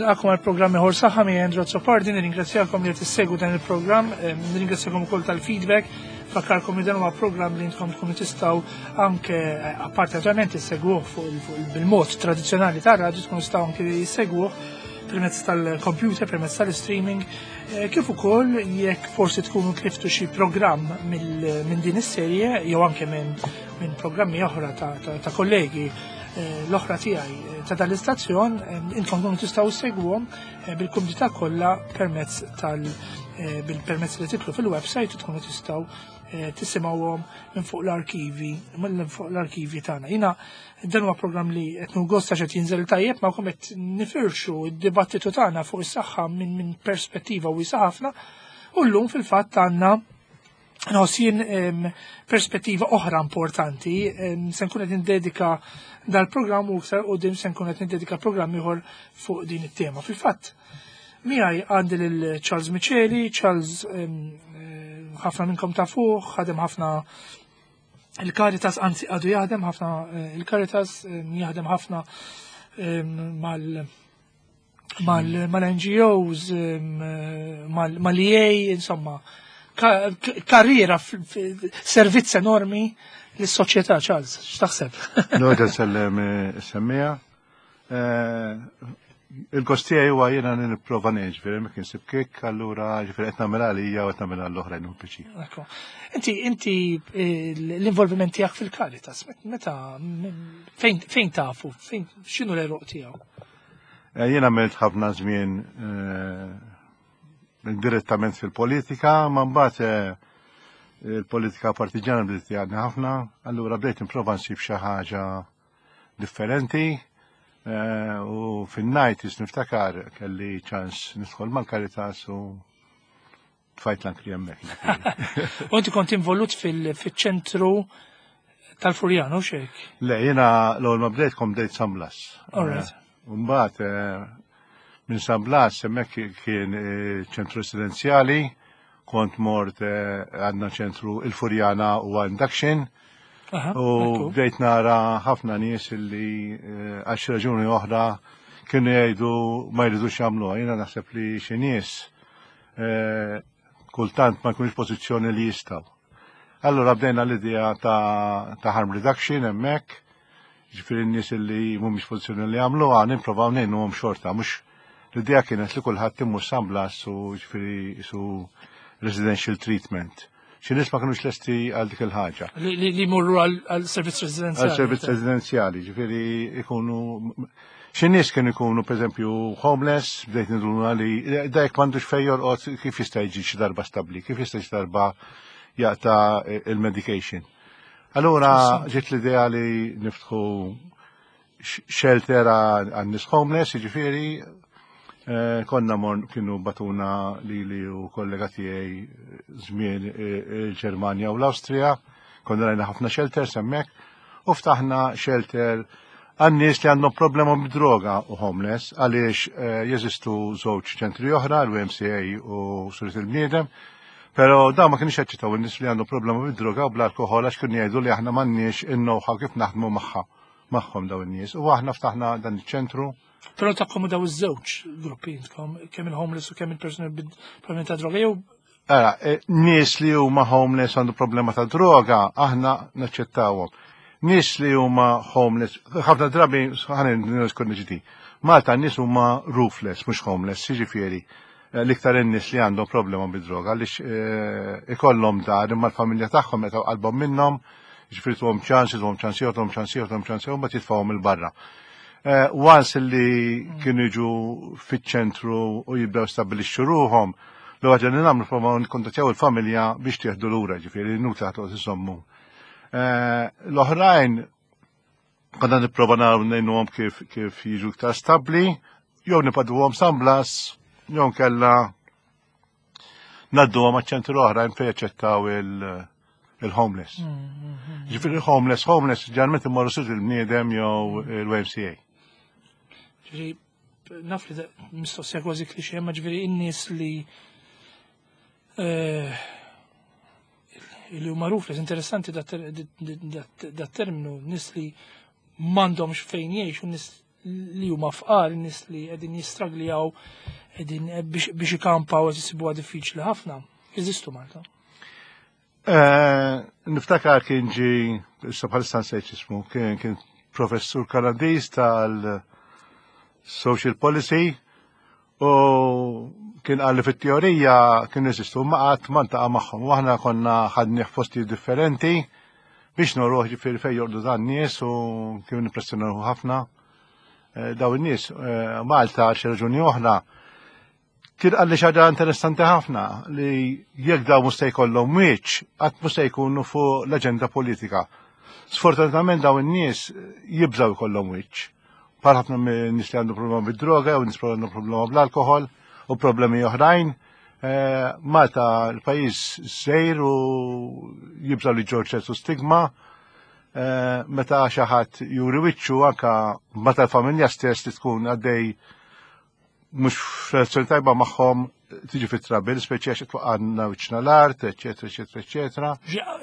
Nilqakom għal programm ieħor saħħa mi Andrew Azzopardi, nirringrazzjakom li qed issegwu dan il-programm, eh, nirringrazzjakom ukoll tal-feedback, fakkarkom li dan huwa programm li intkom tkunu tistgħu anke eh, apparti naturalment issegwuh fuq bil-mod tradizzjonali tar-radju tkunu tistgħu anke issegwuh permezz tal-computer, permezz tal-streaming, eh, kif ukoll jekk forsi tkunu tliftu xi programm minn din is-serje jew anke minn programmi oħra ta' kollegi Eh, l-oħra tiegħi eh, ta' dan l-istazzjon eh, intom tkunu tistgħu segwhom bil-kumdità kollha permezz tal bil-permezz li titlu fil-website u tkunu tistgħu tisimgħuhom minn fuq l-arkivi minn fuq l-arkivi tagħna. Jiena dan huwa programm li qed gost għax qed jinżel tajjeb ma qed nifirxu d-dibattitu tagħna fuq is-saħħa minn perspettiva wiesa' ħafna u llum fil-fatt għandna Nħoss jien perspettiva oħra importanti, se nkun qed nindedika dal-programm u iktar qudiem se nkun qed nindedika programm ieħor fuq din it-tema. Fil-fatt, miegħi għandi lil Charles Micheli, Charles eh, ħafna minnkom ta' fuq, ħadem ħafna il-Caritas, anzi għadu jaħdem ħafna eh, il-Caritas jaħdem ħafna mal mal-NGOs, mal-EA, insomma, karriera, servizz enormi l-soċjetà, Charles, x'taħseb? Noġa sellem eh, semmija. Eh, Il-kostija huwa jiena nipprova ġifieri ma kinsib kik, allura ġifieri qed nagħmel għalija u qed nagħmel għall-oħrajn u piċi. Inti inti eh, l-involviment tiegħek fil-Caritas, meta fejn tafu, fejn x'inhu l-eruq tiegħu? Eh, jien għamilt ħafna żmien eh, direttament fil-politika, ma mbagħad eh, il-politika partiġana bdiet jgħadni ħafna, allura bdejt nipprova nsib xi ħaġa differenti u fin-nineties niftakar kelli ċans nidħol mal-Caritas u tfajt l-ankri hemmhekk. U inti kont involut fil-ċentru tal-Furjano xek? Le, jiena l-ewwel ma bdejt kom bdejt San Blas. Alright. Eh, mbagħad eh, minn San Blas hemmhekk kien eh, ċentru residenzjali, kont mort għandna ċentru il-Furjana u induction. U bdejt nara ħafna nies illi għal xi raġuni oħra kienu jgħidu ma jridux jagħmluha. Jiena naħseb li xi nies Eh, kultant ma jkunx pożizzjoni li jistaw. Allora bdejna l-idea ta', ta harm reduction hemmhekk, ġifieri n-nies li mhumiex pożizzjoni li jagħmluha nipprovaw ngħinuhom xorta, mhux l-idea kienet li kulħadd imur San Blas u ġifieri su residential treatment. Xi nies ma kinux lesti għal dik il-ħaġa. Li jmorru għal servizz residenzjali. Għal servizz residenzjali, ġifieri ikunu xi nies kienu jkunu pereżempju homeless, bdejt niduna li da jekk m'għandux fejn jorqod kif jista' jiġi xi darba stabbli, kif jista' xi darba jaqta' il-medication. Allura ġiet l-idea li niftħu shelter għan-nies homeless, jiġifieri eh, konna mor kienu batuna li li u kollega tiegħi żmien eh, il-Ġermanja u l-Awstrija, konna rajna ħafna shelters hemmhekk u ftaħna shelter għan-nies li għandhom problema bid-droga u homeless għaliex eh, jeżistu żewġ ċentri oħra, l-UMCA u Surit il-Bniedem, Pero da ma kienx jaċċettaw in-nies li għandhom problema bid-droga u bl-alkoħol għax kienu jgħidu li aħna m'għandniex in-know-how kif naħdmu magħha magħhom daw in-nies. U aħna ftaħna dan iċ-ċentru. Però takkomodaw iż-żewġ gruppi intkom, kemm il-homeless u kemm il-persuni bil-problemi ta' droga jew Ara, e, nies li huma homeless għandu problema ta' droga, aħna naċċettawhom. Nies li huma homeless, ħafna drabi ħanin niskun ġdi. Malta nies huma roofless, mhux homeless, jiġifieri eh, l-iktar in-nies li għandhom problema bid-droga għaliex eh, ikollhom dar imma l-familja tagħhom meta qalbhom minnhom Ġifieri tuhom ċans, tuhom ċans ieħor, tuhom ċans ieħor, tuhom ċans ieħor, mbagħad jitfgħuhom il-barra. Eh, once li kienu jiġu fiċ-ċentru u jibdew stabilixxu ruhom, l-ewwel li nagħmlu prova nikkontattjaw il-familja biex tieħdu lura, ġifieri inutli ħadd iżommu. Eh, l-oħrajn konna nipprova naraw ngħinuhom kif kif jiġu iktar stabbli, jew nipaduhom San Blas, jew nkella Naddu għam ċentru oħrajn fejn jaċċettaw il-homeless. Ġifieri il-homeless, homeless ġarment imorru sud il-bniedem jew il-YMCA. Ġifieri naf li mistoqsija kważi klixe, ma ġifieri in-nies li eh, li huma rufles interessanti dat terminu, nies li m'għandhomx fejn jgħixu, nies li huma fqar, nies li qegħdin jistraglijaw qegħdin eh, biex ikampaw qed isibuha diffiċli ħafna. Jeżistu Malta. Eh, niftakar kien ġi, issa bħalissa nsejt ismu, kien professur Kanadiż tal-Social Policy u kien għalli fit-teorija kien jeżistu ma qatt ma ntaqa' magħhom. U aħna konna ħadni f'postijiet differenti biex noruħ ġifieri fejn jorqdu dan nies u kien impressjonaw ħafna. Eh, daw in-nies eh, Malta għal xi raġuni oħra Kien qalli xi ħaġa interessanti ħafna li jekk dawn mhux se jkollhom wiċċ, qatt mhux se jkunu fuq l-aġenda politika. Sfortunatament dawn in-nies jibżgħu jkollhom wiċċ. Bħal ħafna nies li għandu problema bid-droga jew nies għandu problema bl-alkoħol u problemi oħrajn. Eh, Malta l-pajjiż sejr u jibżgħu li ġor ċertu stigma. Eh, meta xi ħadd juri wiċċu anka meta l-familja stess li tkun għaddej mhux f'relazzjoni tajba magħhom tiġi fit trabil, speċi għax twaqqanna wiċċna l-art, eċetera, eċetera, eċetera.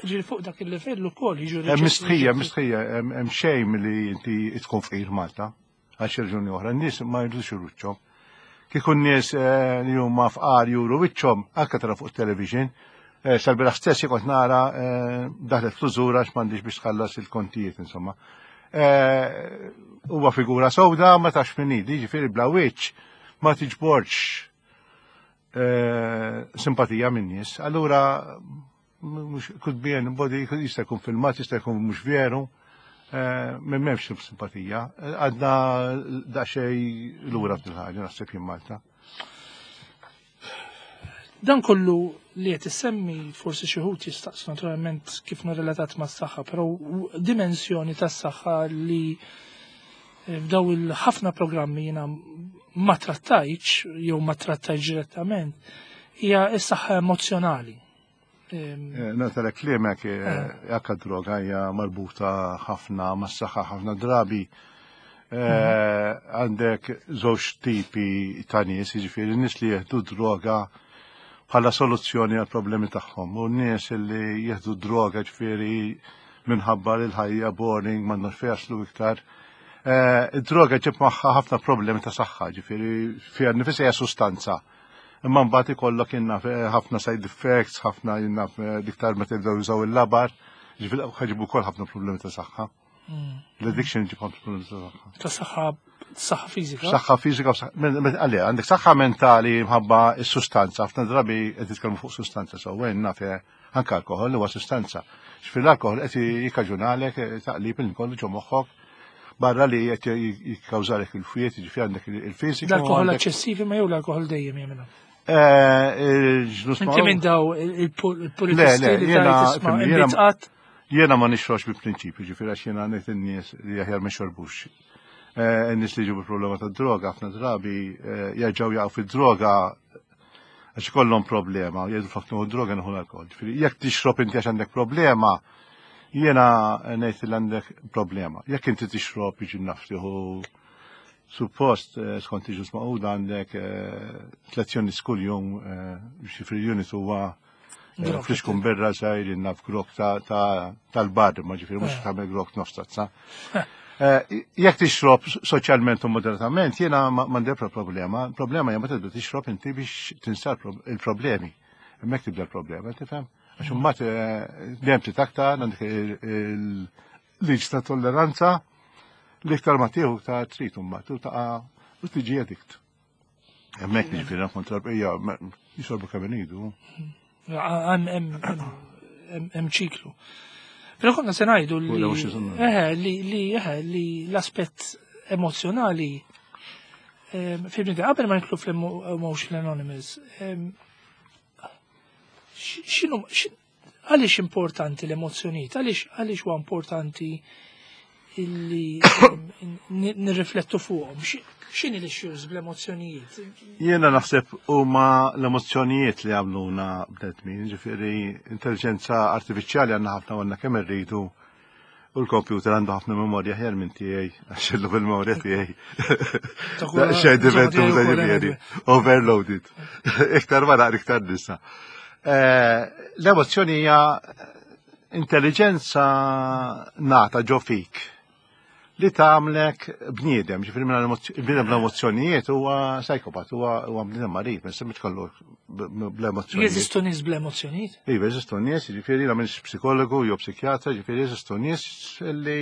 Ġiri fuq dak il-livell ukoll jiġu Hemm mistħija, mistħija, hemm xejn li inti tkun fqir Malta, għal xi raġuni oħra, n-nies ma jridux wiċċhom. Kieku n-nies eh, li huma fqar juru wiċċhom, anke tara fuq television, eh, sal-biraħ stess kont nara eh, daħlet fl-użura għax m'għandix biex tħallas il-kontijiet, insomma. Eh, huwa figura sewda ma tafx min hi, jiġifieri bla wiċċ ma tiġborx eh, simpatija minn nies. Allura mhux could be anybody, jista' jkun filmat, jista' jkun mhux veru, eh, m'hemmx simpatija. Għadna daqsxejn lura f'dil ħaġa naħseb jien Malta. Dan kollu li qed issemmi forsi xi wħud jistaqsu naturalment kif relatat mas-saħħa, però dimensjoni tas-saħħa li eh, f'daw il-ħafna programmi jiena ma trattajtx jew ma trattajtx direttament hija s-saħħa emozjonali. Eh, Nata klimek eh, eh. droga hija marbuta ħafna mas-saħħa ħafna drabi. Mhm. Għandek żewġ tipi ta' nies, jiġifieri nies li jieħdu droga bħala soluzzjoni għal problemi tagħhom u nies li jieħdu droga ġifieri minħabba li l-ħajja boring m'għandhomx fejn jaslu iktar. Id-droga ġib magħha ħafna problemi ta' saħħa, ġifieri fiha nifisha hija sustanza. Imma mbagħad ikollok jinnaf ħafna side effects, ħafna jinnaf diktar meta jibdew jużaw il-labar, ġifieri ħaġibu wkoll ħafna problemi ta' saħħa. L-addiction ġib ħafna problemi ta' saħħa. Ta' saħħa saħħa fiżika. Saħħa fiżika, għalli, għandek saħħa mentali mħabba s-sustanza, ħafna drabi qed nitkellmu fuq sustanza, so għen naf anke alkohol huwa sustanza. X'fil l-alkohol qed jikkaġunalek taqlib il kollu ġo moħħok barra li qed jikkawżalek il-fwiet, jiġifieri għandek il-fiżiku. L-alkohol eċċessivi ma jew l-alkohol dejjem jagħmilha. Eh, Inti minn daw il-politisti li tajt Jiena ma nixrox bi prinċipju, ġifieri għax jiena ngħid in-nies li aħjar ma xorbux. Eh, in-nies li ġibu problema ta' droga ħafna drabi eh, jerġgħu jaqgħu fid-droga għax ikollhom problema, jgħidu flok nieħu droga nieħu l-alkohol. Ġifieri jekk tixrob inti għax għandek problema, jiena ngħid li għandek problema. Jekk inti tixrob jiġi naf tieħu suppost eh, skont iġus maquda għandek eh, tlezzjoni kuljum eh, xifri unit huwa Flixkun birra zaħir naf grok tal-bar, ma ġifiri mux tagħmel grok nofs tazza. Eh, jekk tixrob soċjalment u moderatament, jiena m'għandi problema. Problema hija meta tibda tixrob inti biex tinsa il-problemi. Hemmhekk tibda l-problema, tifhem? Għax imbagħad eh, dejjem titaktar għandek il-liġ ta' tolleranza li iktar ma tieħu ta' trid imbagħad u taqa' u tiġi addict. Hemmhekk jiġifieri kontra l-bqija jixorbu kemm iridu. Hemm ċiklu. Però konna se ngħidu li eh, li eh, li l-aspett emozjonali ehm, fil-bnida qabel ma nitlu fl-Emotion Anonymous, ehm, x'inhu Għaliex importanti l-emozzjonijiet? Għaliex għaliex huwa importanti illi nirriflettu fuqhom? X'inhi l-issues bl-emozzjonijiet? Jiena naħseb huma l-emozzjonijiet li għamluna bnedmin, ġifieri intelligenza artifiċjali għandna ħafna għandna kemm irridu u l-kompjuter għandu ħafna memorja ħjar minn tiegħi, għax illu bil-memorja tiegħi. Xejn diventuta ġifieri, overloaded. Iktar ma naqra iktar nisa. Eh, l-emozzjoni hija intelligenza nata ġo fik li tagħmlek bniedem, ġifieri minn bniedem bl-emozzjonijiet huwa psychopath, huwa bniedem marid, ma jistax kollu bl-emozzjonijiet. Jeżistu nies bl-emozzjonijiet? Iva, jeżistu nies, ġifieri la minix psikologu jew psikjatra, ġifieri jeżistu nies li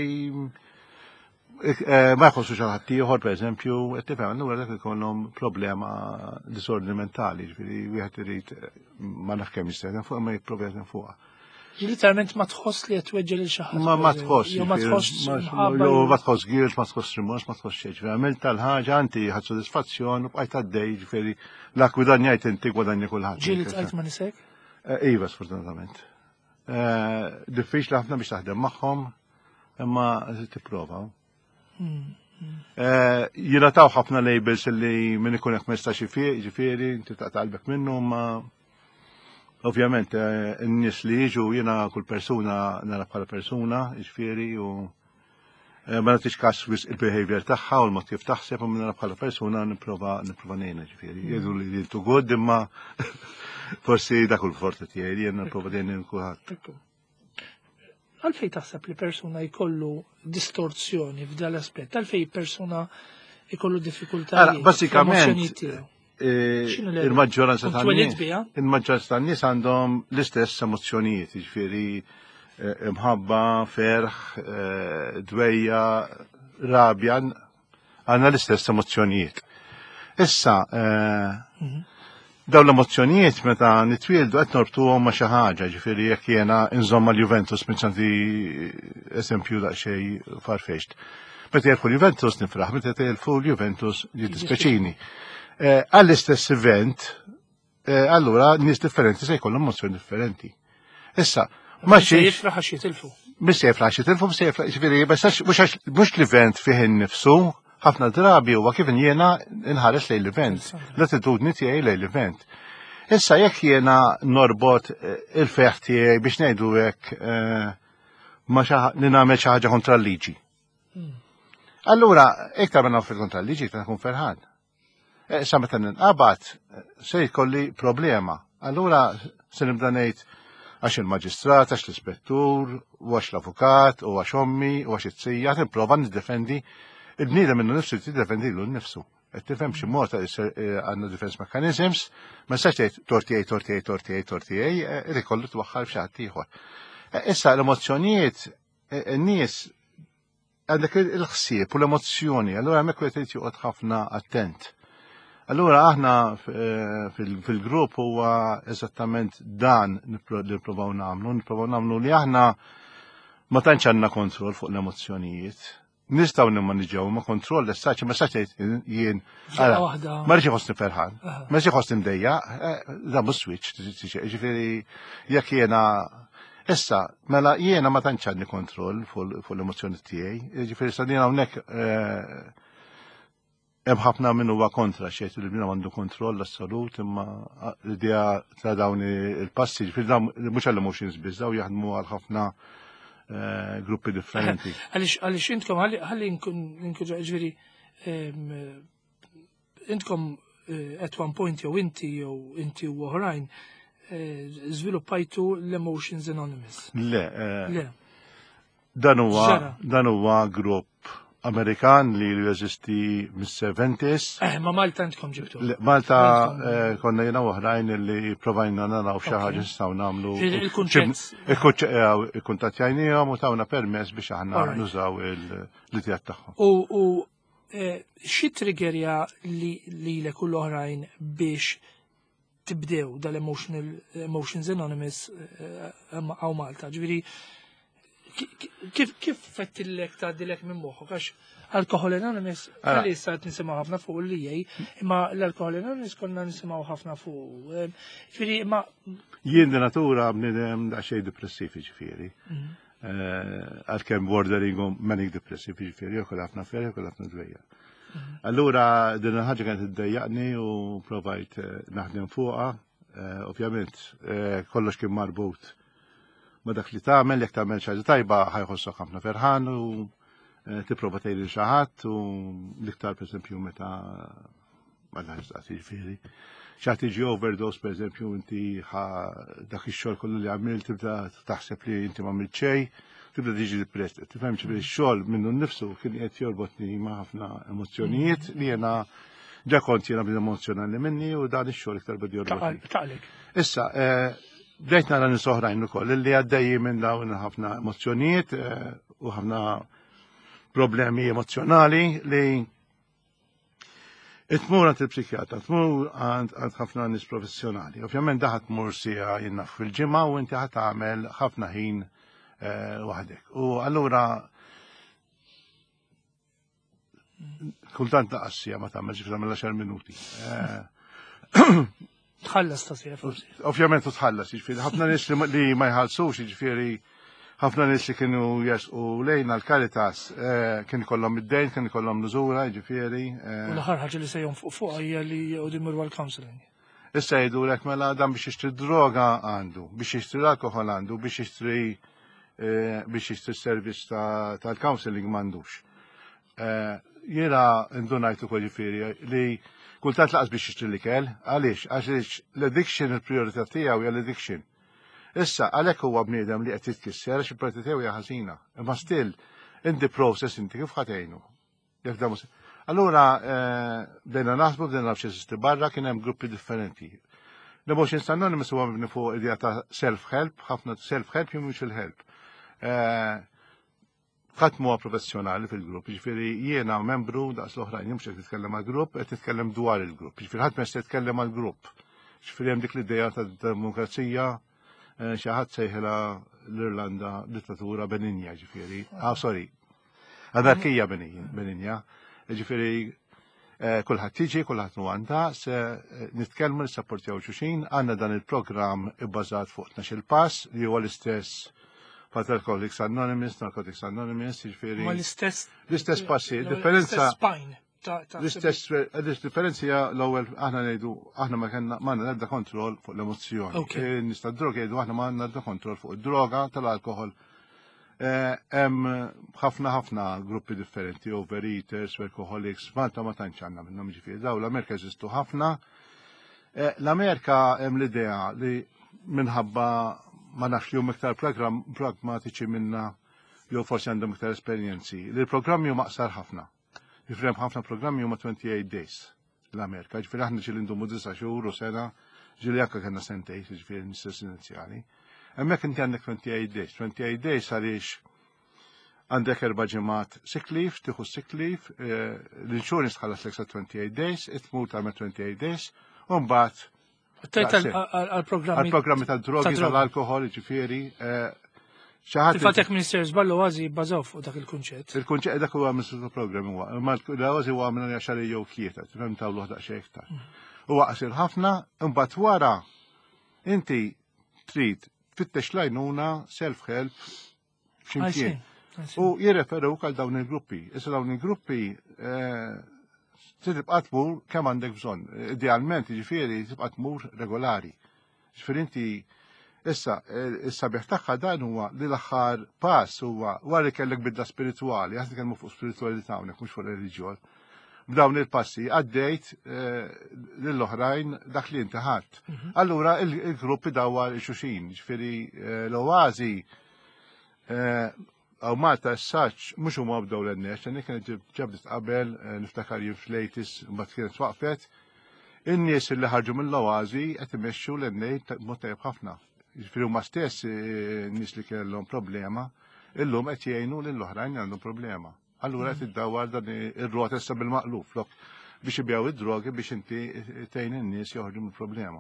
eh, ma jħossu xi ħadd ieħor, pereżempju, qed tifhem, allura dak ikollhom problema disordni mentali, ġifieri wieħed irid ma naf kemm jista' fuq ma jipprova jaħdem fuqha. Literalment ma tħoss li qed tweġġel lil xi ħadd. Ma ma tħoss. Jew ma tħoss. Jew ma tħoss guilt, ma tħoss rimors, ma tħoss xejn. Għamilt tal-ħaġa inti ħadd sodisfazzjon u bqajt għaddej ġifieri la gwadanjajt inti gwadanja kulħadd. Ġieli tqajt ma nisek? Eh, iva, sfortunatament. Eh, diffiċli ħafna biex taħdem magħhom, imma tipprova. Eh, jingħataw ħafna labels li min ikun hekk ma jistax ifiq, ġifieri, inti taqta' qalbek minnu, ma ovvjament eh, n-nies li jiġu jiena kull persuna nara bħala persuna, ġifieri, u eh, ma nagħtix każ wisq il-behavior tagħha u l-mod kif taħseb u nara bħala persuna nipprova nipprova ngħinha ġifieri. Jgħidu li too good imma forsi dak il-forti tiegħi li jiena nipprova dejjem kulħadd. Għalfej taħseb li persuna jkollu distorzjoni f'dal aspett? Għalfej persuna jkollu diffikultà? Basikament, eh, il-maġġoranza tan-nies il-maġġoranza tan-nies għandhom l-istess emozzjonijiet, jiġifieri eh, imħabba, ferħ, eh, dwejja, rabja, għandna l-istess emozzjonijiet. Issa, eh, mhm. dawn l-emozzjonijiet meta nitwieldu qed norbtuhom ma' xi ħaġa, ġifieri jekk jiena nżomm mal-Juventus minn ċanti eżempju daqsxejn farfetched. Meta jerfu l-Juventus nifraħ, meta jerfu l-Juventus jiddispjaċini. Eh, għall-istess event, Eh, allura nies differenti se jkollhom emozzjoni differenti. Issa, ma xi jifraħ għax jitilfu. Mhux se jifraħ għax jitilfu, mhux se jifraħ, ġifieri, mhux l-event fih innifsu, ħafna drabi huwa kif jiena nħares lejn l-event, l-attitudni tiegħi lejn l-event. Issa jekk jiena norbot eh, il-feħ tiegħi biex ngħidu hekk eh, ma li nagħmel xi ħaġa kontra l-liġi. Hmm. Allura, iktar ma nagħmel kontra l-liġi, iktar nkun ferħan. Eh, sa meta ninqabad se jkolli problema. Allura se nibda ngħid għax il-maġistrat, għax l-ispettur, u għax l-avukat, u għax ommi, u għax it-sija, nipprova niddefendi il-bniedem minnu nifsu jiddefendi lu nnifsu. Qed tifhem xi mod eh, għandna defense mechanisms, ma nistax tgħid tortijaj, tortijaj, tortijaj, tortijaj, eh, irid kollu twaħħal f'xi ħadd ieħor. Issa l-emozzjonijiet, n-nies għandek il-ħsieb u l-emozzjoni, allura hemmhekk wieħed irid joqgħod ħafna attent. Allura aħna eh, fil-grupp huwa eżattament dan li nippruvaw nagħmlu, nippruvaw nagħmlu li aħna ma tantx għandna kontroll fuq l-emozzjonijiet. Nistgħu nimmaniġġjaw ma kontroll l-essaċ, ma saċ jien. Ma rridx iħossni ferħan, ma rridx iħossni mdejja, eh, da mhux switch, ġifieri jekk jiena Issa, mela jiena ma tantx għandi kontroll fuq l-emozzjoni tiegħi, jiġifieri sa jiena hawnhekk eh, hemm ħafna min huwa kontra xejn li bniedem għandu kontroll assolut imma l-idea ta' dawn il-passi, ġifieri dawn mhux għall-emotions biss, dawn jaħdmu għal ħafna eh, gruppi differenti. Għaliex għaliex intkom ħalli nkun ġifieri intkom eh, at one point jew inti jew inti u oħrajn eh, żviluppajtu l-Emotions Anonymous. Le, eh, Le. Dan huwa dan huwa grupp Amerikan li jeżisti mis-70s. Eh, ma Malta intkom ġibtu. Malta konna jena oħrajn li provajna naraw xi ħaġa nistgħu nagħmlu. Il-kunċett. Il-kuntattjajnihom u tawna permess biex aħna nużaw l-idea tagħhom. U Eh, xi triggerja li lilek u l-oħrajn biex tibdew dal-Emotional Emotions Anonymous eh, għaw Malta? Ġifieri kif kif fettillek tgħaddilek minn moħħok għax Alcohol Anonymous għalli issa qed nisimgħu ħafna fuq li jgħi, imma l-Alcohol Anonymous konna nisimgħu ħafna fuq. Eh, ġifieri imma Jien di natura bniedem daqsxejn depressiv ġifieri. Mhm. Eh, għalkemm bordering u manic depressive, jiġifieri jew ħafna ferħ jew ħafna dwejja. Mhm. Allura din il-ħaġa kienet iddejjaqni u provajt eh, naħdem fuqha, eh, ovvjament kollox kien marbut ma dak li tagħmel, jekk tagħmel xi ħaġa tajba ħajħossok ħafna ferħan u tipprova tgħid lil xi ħadd u l-iktar pereżempju meta ma nafx daqs jiġifieri. Xaħat tiġi overdose, per eżempju, inti dak ix-xogħol kollu li għamilt tibda taħseb li inti ma għamilt xejn, Tibda tiġi depressed, tifhem ġifieri x-xogħol minnu nnifsu kien qed jorbotni ma' ħafna emozzjonijiet li jiena ġa kont jiena bniedem emozjonali minni u dan ix-xogħol iktar beda jorbotni. Taqlek. Issa, eh, bdejt nara nies oħrajn ukoll li għaddejjin minn dawn ħafna emozzjonijiet eh, u ħafna problemi emozjonali li Tmur għand il-psikjatra, tmur għand ħafna nies professjonali. Ovvjament daħat tmur sija jinnaf fil-ġimgħa u inti ħat tagħmel ħafna ħin eh, waħdek. U allura kultant laqas sija ma tagħmel ġifieri tagħmel 10 minuti. Eh, Tħallas ta' sija forsi. Ovvjament u tħallas, jiġifieri ħafna nies li ma jħallsux, jiġifieri ħafna nies li kienu jersqu lejna l-Caritas eh, kien ikollhom id-dejn, kien ikollhom l-użura, jiġifieri. Eh. U l-aħħar ħaġa li se jonfuq fuqha hija li jqogħdu jmorru għall-counseling. Issa jgħidulek mela dan biex jixtri droga għandu, biex jixtri l-alkoħol għandu, biex jixtri eh, biex jixtri servizz tal-counseling m'għandux. Eh, jiena ndunajt ukoll ġifieri li kultant laqas biex jixtri l-ikel, għaliex? Għaliex l-addiction il-priorità tiegħu hija l-addiction. Issa, għalhekk huwa bniedem li qed jitkisser għax il-priorità tiegħu hija ħażina. Imma still, in the process inti kif ħatejnu. Jekk da Allura, eh, bdejna naħsbu, bdejna nafx jeżisti barra, kien hemm gruppi differenti. L-Emotions Anonymous huwa mibni fuq idea ta' self-help, ħafna self-help jew mutual help. Eh, Ħadd m'huwa professjonali fil-grupp, jiġifieri jiena membru daqs l-oħrajn, jien mhux qed nitkellem għall-grupp, qed nitkellem dwar il-grupp. Jiġifieri ħadd ma jista' jitkellem għall-grupp. Jiġifieri hemm dik l-idea ta' demokrazija eh, xi ħadd sejħilha l-Irlanda dittatura beninja, ġifieri. Ah, sorry. Anarkija beninja. Ġifieri Eh, kulħadd tiġi, kulħadd nu għandha, se eh, nitkellmu nissapportjaw xulxin, għandna dan il-programm ibbażat fuq 12 pass li huwa l-istess bħal Alcoholics Anonymous, Narcotics Anonymous, jiġifieri. Ma l-istess. L-istess passi, differenza. L-istess, l-differenza hija l-ewwel aħna ngħidu aħna ma kellna ma għandna l-ebda kontroll fuq l-emozzjoni. Eh, nista' droga jgħidu aħna ma għandna l-ebda kontroll fuq id-droga tal-alkohol Eh, hemm ħafna ħafna gruppi differenti, overeaters, workaholics, Malta ma tantx għandna minnhom ġifieri daw l-Amerika jeżistu ħafna. Eh, L-Amerika hemm l-idea li minħabba ma nafx li huma iktar pragmatiċi minna jew forsi għandhom iktar esperjenzi, li l-programmi huma aqsar ħafna. Ġifieri hemm ħafna programmi huma 28 days l-Amerika. Ġifieri aħna ġieli ndumu disa' xhur u sena, ġieli anke kellna sentej, ġifieri nistess inizjali. Hemmhekk inti għandek 28 days. 28 days għaliex għandek erba' ġimgħat sick leave, tieħu sick leave, eh, l-insurance tħallas l 28 days, itmur tagħmel 28 days, u mbagħad Tajt għal-programmi. Għal-programmi tal-drogi, tal-alkohol, ġifieri. Eh, Fil-fatt jekk Minister Żballu għażi jibbażaw fuq dak il-kunċett. Il-kunċett dak huwa Minister Program huwa, imma l-għażi huwa minn għaxar jew tlieta, tifhem tawlu daqsxejn iktar. Mm. Huwa qasir ħafna, imbagħad wara inti trid tfittex lajnuna self-help x'imkien. U jirreferuk għal dawn il-gruppi. Issa dawn il-gruppi eh, tibqa' tmur kemm għandek bżonn. Idealment, jiġifieri tibqa' tmur regolari. Ġifieri inti issa eh, is-sabiħ tagħha dan huwa li l-aħħar pass huwa wara li kellek bidla spiritwali, aħna nitkellmu fuq spiritwalità hawnhekk mhux fuq reliġjon. B'dawn il-passi għaddejt eh, lill-oħrajn dak li inti ħadd. Mhm. Allura il-gruppi dawar il-xuxin, ġifieri l-oazi Għaw Malta s-saċ, mux huma bdew l-NS, l kienet ġabdet qabel, eh, niftakar jien fl-80s, mbagħad kienet waqfet. In-nies li ħarġu mill-oazi qed imexxu l-NA mod tajjeb ħafna. Jiġifieri huma stess eh, nies li kellhom problema, illum qed jgħinu lill-oħrajn li għandhom problema. Allura qed iddawwar dan ir-rota issa bil-maqlub flok biex ibjaw id-drogi biex inti tgħin in-nies joħorġu mill-problema.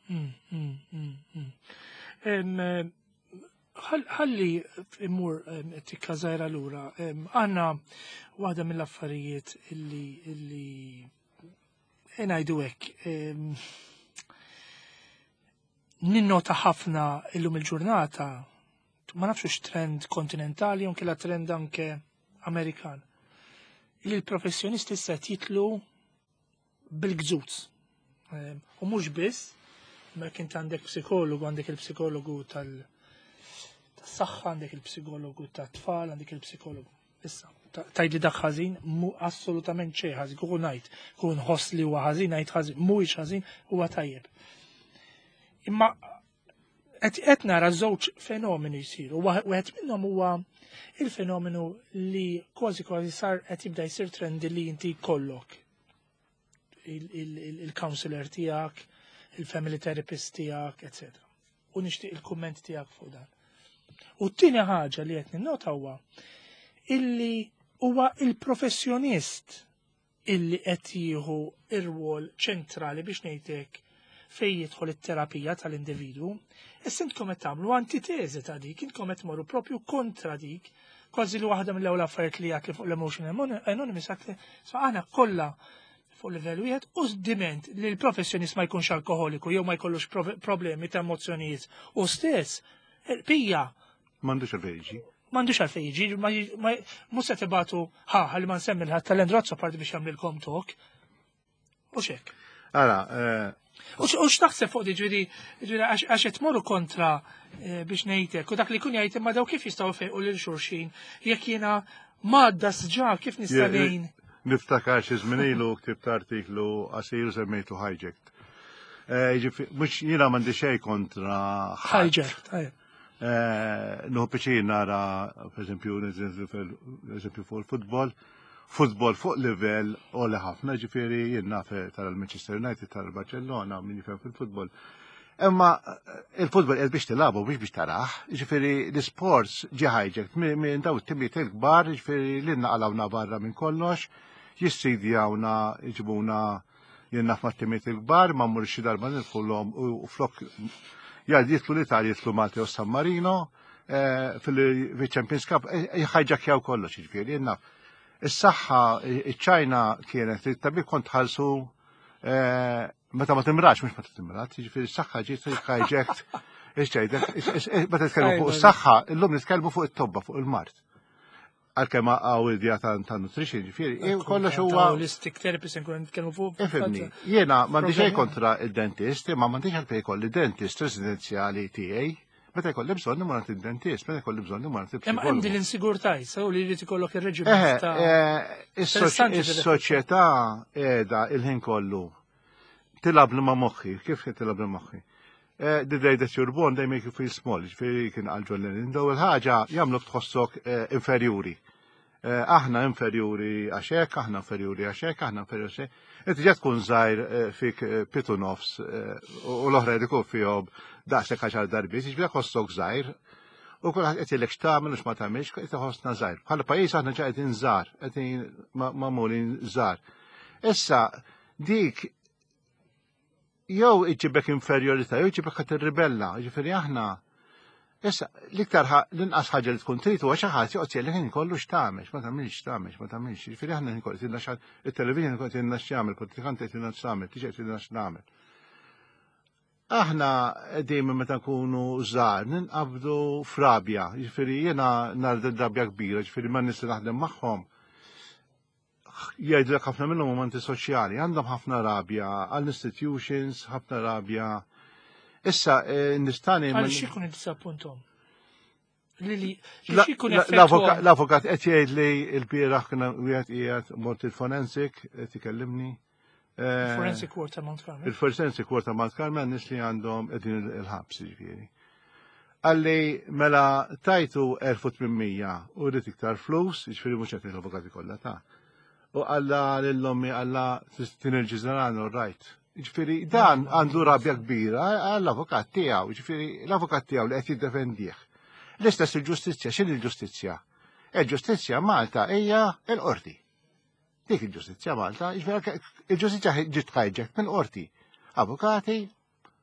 Mm, mm, mm, Ħalli immur tikka żgħira lura. Għandna waħda mill-affarijiet illi illi ngħidu hekk ninnota ħafna illum il-ġurnata ma nafx hux trend kontinentali jew kella trend anke Amerikan. Li l-professjonisti issa jitlu bil-gżuz. Ehm, u mhux biss, ma kien għandek psikologu, għandek il-psikologu tal-saħħa, għandek il-psikologu tat-tfal, għandek il-psikologu. Issa, tajdi dak ħażin, mu assolutament xejn ħażin, kieku ngħid, kieku nħoss li huwa ħażin, ngħid ħażin, mhuwiex ħażin, huwa tajjeb. Imma Qed nara żewġ fenomeni jsiru. Wieħed minnhom huwa il-fenomenu li kważi kważi sar qed jibda jsir trendi li inti jkollok il-counselor tiegħek, il-family therapist tiegħek, etc. U nixtieq il-kumment tiegħek fuq dan. U t-tieni ħaġa li qed ninnota huwa illi huwa il-professjonist illi qed jieħu ir-rwol ċentrali biex ngħidlek fejn jidħol it-terapija tal-individwu. Issa intkom qed tagħmlu antiteżi ta' dik, intkom qed tmorru propju kontra dik, kważi li waħda mill-ewwel affarijiet li għat li fuq l-Emotion Anonymous għat li aħna kollha fuq livell wieħed u diment li l-professjonist ma jkunx alkoholiku jew ma jkollux problemi ta' emozzjonijiet u stess, pija. M'għandux għalfejn jiġi. M'għandux għalfejn jiġi, mhux se tibatu ħa ħalli ma nsemmi l-ħadd tal-Andrew parti biex jagħmlilkom tok. U xek. Ara, eh, U x'taħseb fuq di ġifieri għax qed tmorru kontra eh, biex ngħidlek u dak li jkun jgħid imma daw kif jistgħu fejqu lil xulxin jekk jiena madda sġa kif nista' ngħin. Niftakar xi żmien ilu ktibt artiklu qasir semmejtu hijacked. Eh, mhux jiena m'għandi xejn kontra hijacked. Eh, Nuhu piċin nara, per eżempju, eżempju fuq il-futbol, futbol fuq livell oli ħafna, ġifieri jien naf tara l-Manchester United, tara l-Barcellona, min jifhem fil-futbol. Imma eh, il-futbol qed biex tilagħbu biex biex taraħ, ġifieri l-isports ġi hijacked minn daw it-timijiet il-kbar, ġifieri li naqalawna barra minn kollox, jissidjawna, jġibuna Jien naf mat-timiet il-kbar ma mmur xi darba nidħulhom u flok jgħid jitlu l-Italja jitlu Malta u San Marino eh, fil-Champions Cup eh, jħajġakjaw kollox jiġifieri jien naf. Is-saħħa iċ-Ċajna kienet it-tabib kont ħalsu eh, meta ma timrax mhux meta timrat, jiġifieri s-saħħa ġiet hijacked Ixġejdek, meta nitkellmu fuq is-saħħa, illum nitkellmu fuq it-tobba, fuq il-mart. Għalkemm hawn idea ta' nutrition, ġifieri, kollox huwa. Holistic therapist nkun nitkellmu fuq. Ifhimni, jiena m'għandi xejn kontra id-dentist, imma m'għandix għalfejn jkolli dentist residenzjali tiegħi. Meta jkolli bżonn imur għand id-dentist, meta jkolli bżonn imur għand il-psikologu. Hemm din l-insigurtà issa u li jrid ikollok ir-reġiment ta' Is-soċjetà qiegħda il-ħin kollu tilab li ma' moħħi, kif tilab li moħħi? Eh, the day that you're born, they make you feel small, ġifieri kien għal John Lennon. Daw il-ħaġa jagħmluk tħossok eh, inferjuri. Eh, aħna inferjuri għax hekk, aħna inferjuri għax hekk, aħna inferjuri għax hekk. Inti ġa tkun żgħir fik pitu nofs u l-oħra jkun fihom daqshekk għaxar darbiet, ġifieri ħossok żgħir. U kulħadd qed jgħidlek x'tagħmel u x'ma tagħmilx, qed iħossna żgħir. Bħala pajjiż aħna ġa qegħdin żgħar, qegħdin magħmulin żgħar. Issa dik jew iġibek inferjorità, jew iġibek ħadd irribella, ġifieri aħna Issa, l-iktar l-inqas ħaġa li tkun trid huwa xi ħadd joqgħod jgħidlek ħin kollu x'tagħmel, ma tagħmilx x'tagħmel, ma tagħmilx. Ġifieri aħna ħin kollu tilna it-television qed jgħidilna x'jagħmel, politikant qed jgħidilna x'tagħmel, tiġi qed jgħidilna x'nagħmel. Aħna dejjem meta nkunu żgħar ninqabdu frabja, ġifieri jiena nar rabja kbira, ġifieri ma nies li naħdem magħhom jgħidlek ħafna minnhom huma antisoċjali, għandhom ħafna rabja għall-institutions, ħafna rabja. Issa, eh, nistani. Għal xikun id-disappuntom? L-avukat qed jgħid li l-bieraħ kien wieħed qiegħed mort il-forensic qed ikellimni. Eh, Il-Forensic Court ta' Mount Carmel. Il-Forensic Court ta' Mount Carmel nis li għandhom qegħdin il-ħabs ġifieri. Għalli mela tajtu 1800 u rrid iktar flus, ġifieri mhux qed l-avukati kollha ta' U għalla lill-ommi għalla tin il-ġiżeran all right. Ġifieri dan għandu rabja kbira għall-avukat tiegħu, ġifieri l-avukat tiegħu li qed jiddefendih. L-istess il-ġustizzja, x'in il-ġustizzja? Il-ġustizzja Malta hija l-qorti. Dik il-ġustizzja Malta, il-ġustizzja ġiet hijacked minn qorti. Avukati,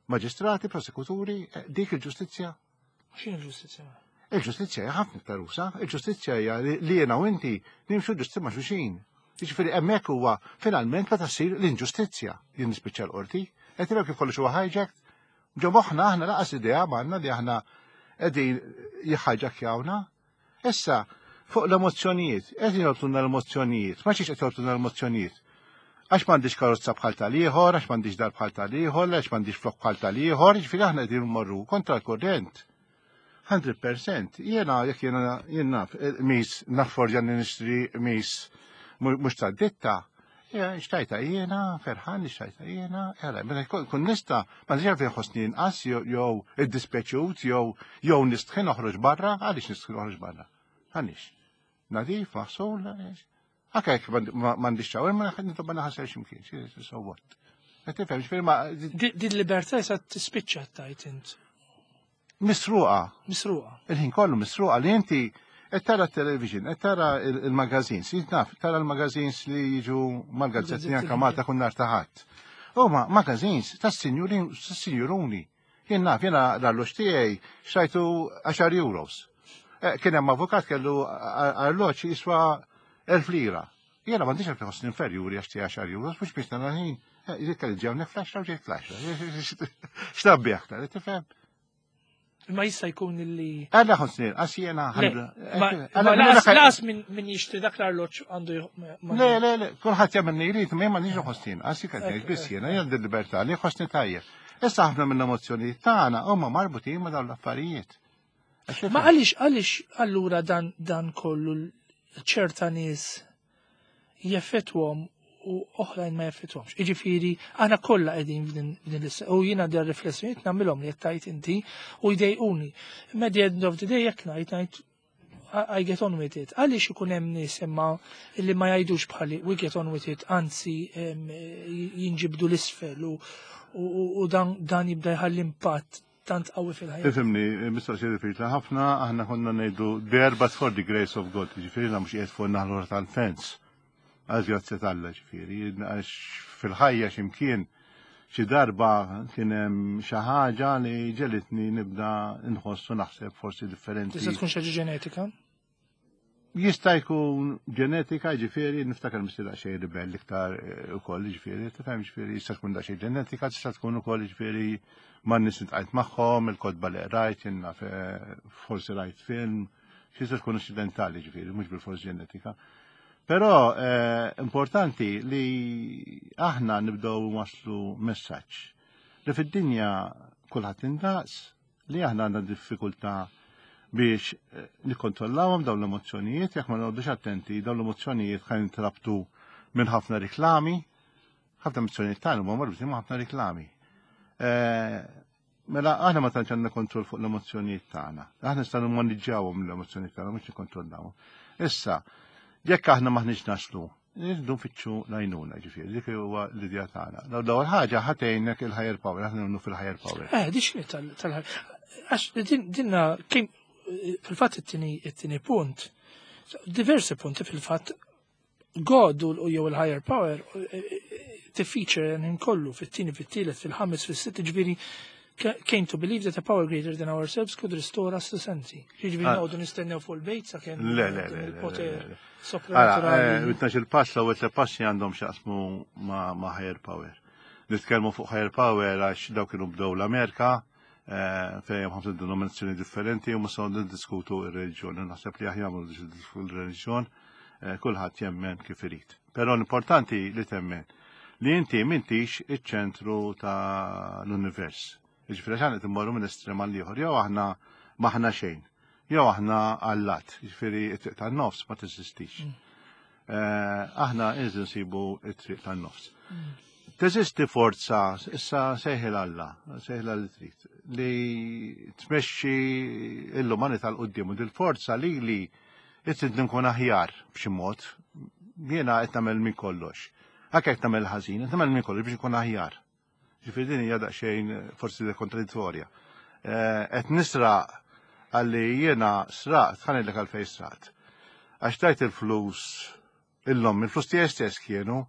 maġistrati, prosekuturi, eh, dik il-ġustizzja. X'in il-ġustizzja? Il-ġustizzja hija ħafna iktar usa, il-ġustizzja hija li jiena u inti nimxu ġusti ma' xulxin. Jiġifieri hemmhekk huwa finalment meta ssir l-inġustizzja jien nispiċċa l-qorti. Qed kif kollox huwa hijacked, ġo moħħna aħna laqas idea m'għandna li aħna qegħdin jħajġakjawna. Issa, fuq l-emozzjonijiet, qed jolqtuna l-emozzjonijiet, ma xiex qed jolqtuna l-emozzjonijiet. Għax m'għandix karozza bħal tal-ieħor, għax m'għandix dar bħal tal-ieħor, għax m'għandix flok bħal tal-ieħor, jiġifieri aħna qegħdin mmorru kontra l-kurrent. 100% jiena jekk jiena jien naf eh, mis naffordja li nixtri mis mhux tad-ditta. Xtajta jiena, ferħan li xtajta jiena, għala, meta kun nista, ma nix għalfejn ħossni inqas jew iddispeċut jew jew nistħi noħroġ barra, għaliex nistħi noħroġ barra? Għaliex? Nadif, maħsul, anke jekk m'għandix ċawer, ma nitobba naħasel x'imkien, so what? Qed tifhem, ġifieri ma. Din libertà sa tispiċċa tajt int. Misruqa. Misruqa. Il-ħin kollu misruqa li inti qed tara t-television, qed tara il-magazines, naf, tara l-magazines li jiġu mal-gazzetti anke Malta kun nar ta' ħadd. Huma magazines tas-sinjuruni. Jien naf, jiena l-arloġ tiegħi xtrajtu 10 euros. Eh, kien hemm avukat kellu arloġ jiswa 1000 lira. Jiena m'għandix għalfejn ħossni inferjuri għax tiegħi 10 euros, mhux biex nara ħin. Eh, jrid kelli ġewni fl-10 u ġejt fl-10. X'tabbi aktar, tifhem? Ma jista' jkun illi. Għalla ħossni, għax jiena Laqas min jixtri dak l-arloġġ għandu. Le, le, le, kulħadd jagħmel li jrid, ma m'għandix ħossni, għax jien qed biss jiena jien libertà li ħossni tajjeb. Issa ħafna mill-emozzjonijiet tagħna huma marbutin ma' dawn l-affarijiet. Ma għaliex għaliex allura dan dan kollu ċerta nies jeffettwhom u oħrajn ma jeffettwhomx. Jiġifieri aħna kollha qegħdin f'din l u jiena der riflessjonijiet nagħmilhom li qed tgħid inti u jdejquni. Imma the end of the day jekk ngħid ngħid I get on with it. Għaliex ikun hemm nies imma li ma jgħidux bħali we get on with it, anzi jinġibdu l-isfel u dan jibda jħalli impatt tant qawwi fil-ħajja. Ifhimni, mistoqsija diffiċli ħafna, aħna konna ngħidu there but for the grace of God, ġifieri mhux qiegħed fuq naħlura tal-fens. Għax grazzi t'Alla ġifieri, għax fil-ħajja x'imkien xi darba kien hemm xi ħaġa li ġelitni nibda nħossu naħseb forsi differenti. Tista' tkun xi ġenetika? Jista' jkun ġenetika, ġifieri, niftakar missier daqsxejn ribell iktar eh, ukoll, ġifieri, tifhem ġifieri, jista' tkun daqsxejn ġenetika, tista' tkun ukoll ġifieri man nies intqajt magħhom, il-kotba li rajt, jiena eh, forsi rajt film, jista' tkun occidentali ġifieri, mhux bil-fors ġenetika. Però eh, importanti li aħna nibdew waslu messaġġ li fid-dinja kulħadd indaqs, li aħna għandna diffikultà biex eh, nikkontrollawhom dawn l-emozzjonijiet, jekk ma noqgħodux attenti, dawn l-emozzjonijiet ħa jintrabtu minn ħafna riklami, ħafna emozzjonijiet tagħna huma marbutin ma' ħafna riklami. Eh, mela aħna ma tantx għandna kontroll fuq l-emozzjonijiet tagħna. Aħna nistgħu nimmaniġġawhom l-emozzjonijiet tagħna mhux nikkontrollawhom. Issa, jekk aħna maħniex naslu Nirridu nfittxu l-għajnuna, ġifieri, dik huwa l-idea tagħna. L-ewwel ħaġa ħatejnek il-higher power, aħna nemmnu fil-higher power. Eh, di x'inhi tal-higher. Għax dinna kien fil-fatt it-tieni punt, diversi punti fil-fatt God u jew il-higher power tifeature ħin kollu fit-tieni, fit-tielet, fil-ħames, fis-sitt, ġifieri came to believe that a power greater than ourselves could restore us to sanity. Jiġifieri ah. noqogħdu nistennew fuq il-bejt sakemm le, le, le, il-poter sopranaturali. Eh, il-pass l-ewwel tliet passi għandhom x'jaqsmu ma' higher power. Nitkellmu fuq higher power għax dawk kienu bdew l-Amerika eh, fejn hemm ħafna denominazzjoni differenti u ma niddiskutu r-reliġjon. Naħseb li aħjar ma niddiskutu r-reliġjon, eh, kulħadd jemmen kif irid. Però l-importanti li temmen li inti m'intix iċ-ċentru ta' l-univers. Jiġifieri għax aħna qed immorru minn estrem għal ieħor, jew aħna m'aħna xejn, jew aħna allat, jiġifieri t-triq tan-nofs ma teżistix. Mm. Eh, aħna irridu nsibu t-triq tan-nofs. Mm. Teżisti forza, issa sejħil Alla, sejħil li trid, li tmexxi l-umanità l-qudiem u dil-forza li li Irrid nkun aħjar b'xi mod. Jiena qed nagħmel minn kollox. Anke qed nagħmel ħażin, qed nagħmel minn kollox biex nkun aħjar. Ġifieri din hija daqsxejn forsi kontradittorja. Eh, qed nisraq għalli jiena sraqt, ħanilek għalfejn sraqt. Għax tajt il-flus Illum, il-flus tiegħi stess kienu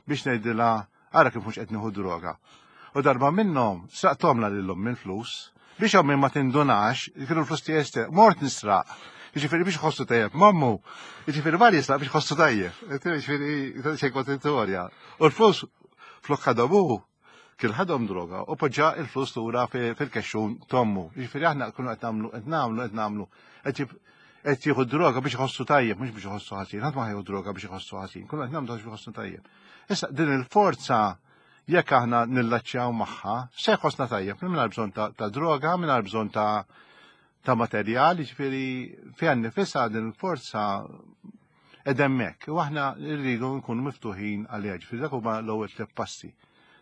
biex ngħidilha ara kif mhux qed nieħu droga. U darba minnhom sraqthomla lil ommi l-flus biex ommi ma tindunax kienu l-flus tiegħi stess. Mort nisraq. Jiġifieri biex ħossu tajjeb mammu. Jiġifieri mar jisraq biex ħossu tajjeb. Jiġifieri xejn kontradittorja. U l-flus flok ħadhom hu kien ħadhom droga u poġġa il-flus lura fil-kexxun tommu. Jiġifieri aħna kunu qed nagħmlu qed nagħmlu qed nagħmlu qed jieħu droga biex iħossu tajjeb mhux biex iħossu ħażin. Ħadd ma ħajħu droga biex iħossu ħażin, kunu qed nagħmlu biex iħossu tajjeb. Issa din il-forza jekk aħna nillaċċjaw magħha, se jħossna tajjeb mingħajr bżonn ta' droga, mingħajr bżonn ta' ta' materjal, jiġifieri fiha nnifisha din il-forza. Qed hemmhekk u aħna rridu nkunu miftuħin għaliha, ġifieri dak huma l-ewwel tliet passi.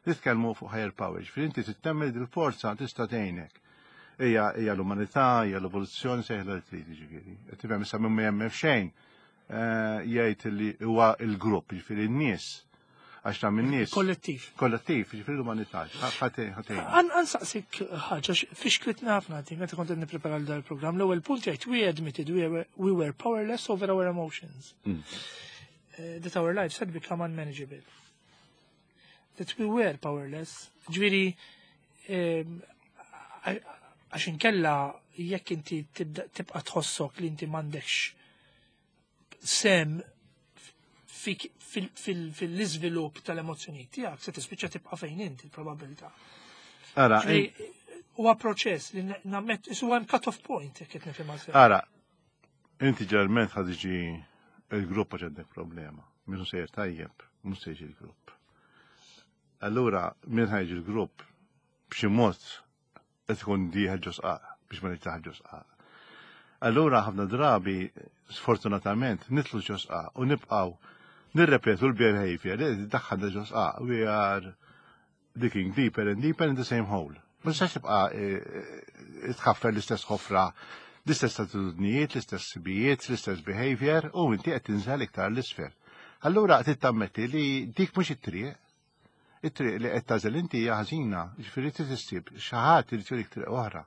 Nitkellmu fuq higher power, ġifieri inti tittemmen li dil-forza tista' tgħinek. Hija hija l-umanità, hija l-evoluzzjoni sejħla li trid ġifieri. Qed tifhem issa minn ma jemmen f'xejn eh, jgħid li huwa l-grupp, ġifieri n-nies għax ta' minn nies. Kollettiv. Kollettiv, ġifieri l-umanità. Ħatejn. Għan saqsik ħaġa, fixklitna ħafna din, meta kont nipprepara l il-programm, l-ewwel punt jgħid we admitted we were powerless over our emotions. That our lives had become unmanageable. That we were powerless. Ġifieri, għax inkella jekk inti tibda tibqa' tħossok li inti m'għandekx sem fil-iżvilupp tal-emozzjonijiet tiegħek, se tispiċċa tibqa' fejn inti il-probabilità. Ara, Ġifieri, huwa proċess li nammet, huwa hemm cut-off point jekk qed nifhimha sew. Ara, inti ġeneralment ħa tiġi il-grupp għax għandek problema. Min sejjer tajjeb, mhux se jiġi l-grupp. Allura, min ħa jiġi l-grupp b'xi mod qed ikun dieħel ġo sqaq biex ma nitaħ ġo sqaq. Allura ħafna drabi, sfortunatament, nidħlu ġo sqaq u nibqgħu nirrepetu l-behavior li daħħalna ġo sqaq. We are digging deeper and deeper in the same hole. Ma tistax tibqa' tħaffer l-istess ħofra, l-istess attitudnijiet, l-istess sibijiet, l-istess behavior u inti qed tinżel iktar l-isfel. Allura trid tammetti li dik mhux it-triq. It-triq li qed tagħżel inti hija ħażina, ġifieri trid issib xi ħadd irid jurik triq oħra